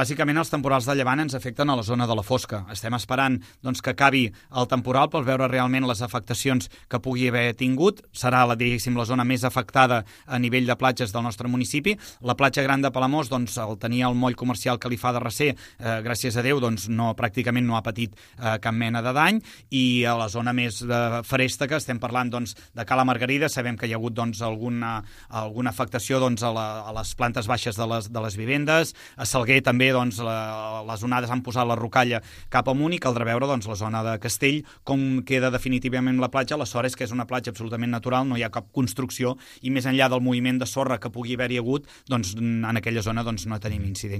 Bàsicament, els temporals de llevant ens afecten a la zona de la Fosca. Estem esperant doncs, que acabi el temporal per veure realment les afectacions que pugui haver tingut. Serà, diguéssim, la zona més afectada a nivell de platges del nostre municipi. La platja gran de Palamós, doncs, el tenia el moll comercial Califà de Recer, gràcies a Déu, doncs, pràcticament no ha patit cap mena de dany, i a la zona més feresta, que estem parlant doncs, de Cala Margarida, sabem que hi ha hagut doncs, alguna afectació doncs, a les plantes baixes de les vivendes. A Salguer també doncs, les onades han posat la rocalla cap amunt, i caldrà veure doncs, la zona de Castell com queda definitivament la platja. La sort és que és una platja absolutament natural, no hi ha cap construcció, i més enllà del moviment de sorra que pugui haver-hi hagut, doncs, en aquella zona doncs, no tenim incidència.